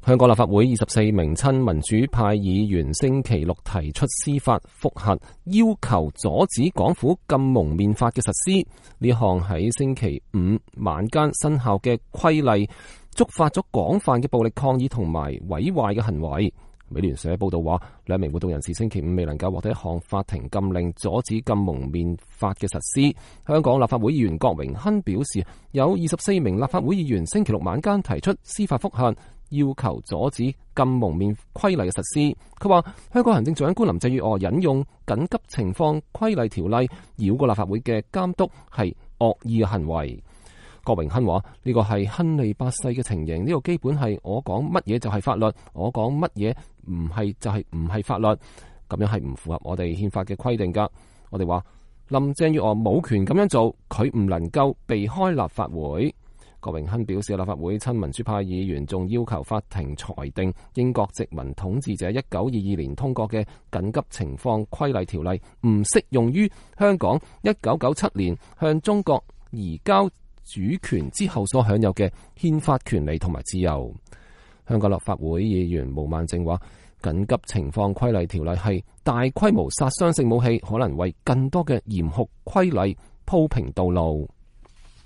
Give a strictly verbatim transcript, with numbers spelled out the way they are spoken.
香港立法會二十四名親民主派議員星期六提出司法覆核，要求阻止港府禁蒙面法嘅實施。呢項喺星期五晚間生效嘅規例，觸發咗廣泛嘅暴力抗議同埋毀壞嘅行為。美聯社報道話，兩名活動人士星期五未能夠獲得一項法庭禁令，阻止禁蒙面法嘅實施。香港立法會議員郭榮鏗表示，有二十四名立法會議員星期六晚間提出司法覆核，要求阻止禁蒙面規例嘅實施。佢話香港行政長官林鄭月娥引用緊急情況規例條例繞過立法會嘅監督係惡意嘅行為。郭榮鏗話呢個係亨利八世嘅情形，呢個基本係我講乜嘢就係法律，我講乜嘢唔係就係唔係法律，咁樣係唔符合我哋憲法嘅規定噶。我哋話林鄭月娥冇權咁樣做，佢唔能夠避開立法會。郭榮鏗表示，立法會親民主派議員仲要求法庭裁定英國殖民統治者一九二二年通過嘅緊急情況規例條例唔適用於香港一九九七年向中國移交主權之後所享有嘅憲法權利同埋自由。香港立法會議員毛孟靜話，緊急情況規例條例係大規模殺傷性武器，可能為更多嘅嚴酷規例鋪平道路。